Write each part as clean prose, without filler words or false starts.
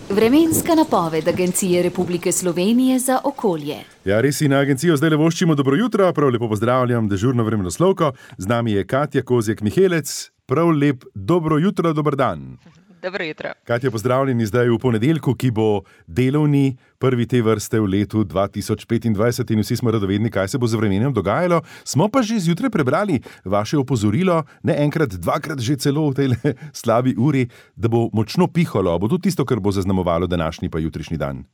Vremenska napoved Agencije Republike Slovenije za okolje. Ja, res si na agencijo zdaj le voščimo dobro jutro, prav lepo pozdravljam dežurno vremenoslovko. Z nami je Katja Kozjek-Mihelec. Prav lep dobro jutro, dober dan. Dobro jutro. Katja, pozdravljeni zdaj v ponedeljku, ki bo delovni, prvi te vrste v letu 2025 in vsi smo radovedni, kaj se bo z vremenem dogajalo. Smo pa že zjutraj prebrali vaše opozorilo, ne enkrat, dvakrat že celo v tej slabi uri, da bo močno pihalo. Bo to tisto, kar bo zaznamovalo današnji pa jutrišnji dan?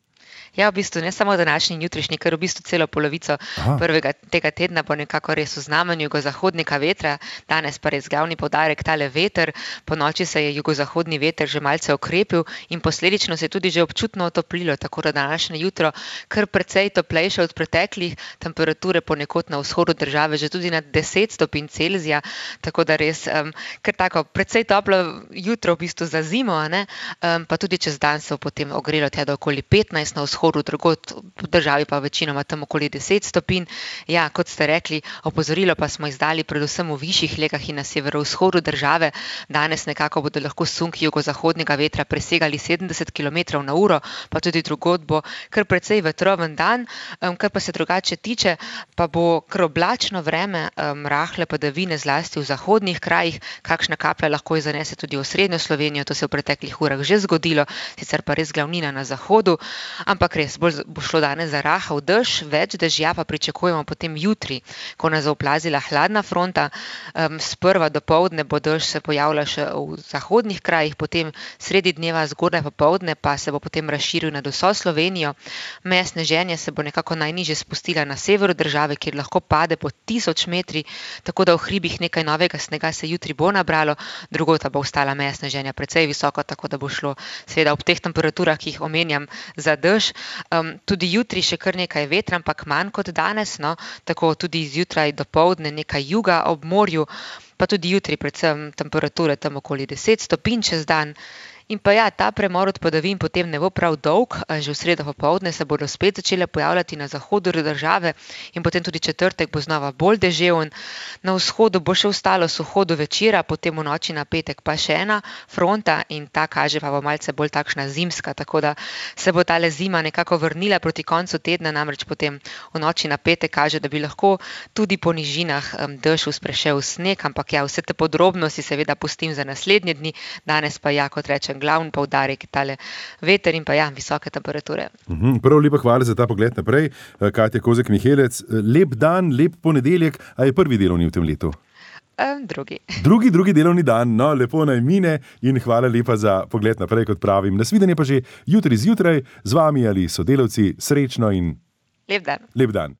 Ja, v bistvu ne samo današnji in jutrišnji, ker v bistvu celo polovico prvega tega tedna bo nekako res v znamenju jugozahodnega vetra. Danes pa res glavni poudarek tale veter. Po noči se je jugozahodni veter že malce okrepil in posledično se je tudi že občutno otoplilo, tako da današnje jutro kar precej toplejše od preteklih, temperature ponekod na vzhodu države že tudi nad 10 stopinj Celzija, tako da res kar tako precej toplo jutro v bistvu za zimo, ne? Pa tudi čez dan se bo potem ogrelo tja do okoli 15 na vzhodu, drugod v državi pa večinoma tam okoli 10 stopinj. Ja, kot ste rekli, opozorilo pa smo izdali predvsem v višjih legah in na severovzhodu države. Danes nekako bodo lahko sunki jugozahodnega vetra presegali 70 km/h, pa tudi drugod bo kar precej vetroven dan. Kar pa se drugače tiče, pa bo kar oblačno vreme, rahle padavine zlasti v zahodnih krajih, kakšna kaplja lahko zanese tudi v srednjo Slovenijo, to se je v preteklih urah že zgodilo, sicer pa res glavnina na zahodu, ampak res bolj bo šlo danes za rahel dež, več dežja pa pričakujemo potem jutri, ko nas bo oplazila hladna fronta. Sprva dopoldne bo dež se pojavlja še v zahodnih krajih, potem sredi dneva zgodaj popoldne pa se bo potem razširil nad vso Slovenijo. Meja sneženja se bo nekako najnižje spustila na severu države, kjer lahko pade po 1000 metri, tako da v hribih nekaj novega snega se jutri bo nabralo, drugod pa bo ostala meja sneženja precej visoko, tako da bo šlo seveda ob teh temperaturah, ki jih omenjam, za dež. Tudi jutri še kar nekaj vetra, ampak manj kot danes, no, tako tudi zjutraj dopoldne nekaj juga ob morju, pa tudi jutri predvsem temperature tam okoli 10 stopinj čez dan. In pa ja, ta premor od padavin potem ne bo prav dolg, že v sredo popoldne se bodo spet začele pojavljati na zahodu države in potem tudi četrtek bo znova bolj deževen. Na vzhodu bo še ostalo suho do večera, potem v noči na petek pa še ena fronta in ta kaže pa bo malce bolj takšna zimska, tako da se bo tale zima nekako vrnila proti koncu tedna, namreč potem v noči na petek kaže, da bi lahko tudi po nižinah dež sprešel sneg, ampak ja, vse te podrobnosti seveda pustim za naslednje dni, danes pa ja, kot rečem, glavni poudarek je tale veter in pa ja, visoke temperature. Prav lepa hvala za ta pogled naprej. Katja Kozjek-Mihelec, lep dan, lep ponedeljek, a je prvi delovni v tem letu? Drugi. Drugi delovni dan, no, lepo naj mine in hvala lepa za pogled naprej, kot pravim. Nasvidenje pa že jutri zjutraj z vami ali sodelavci, srečno in Lep dan. Lep dan.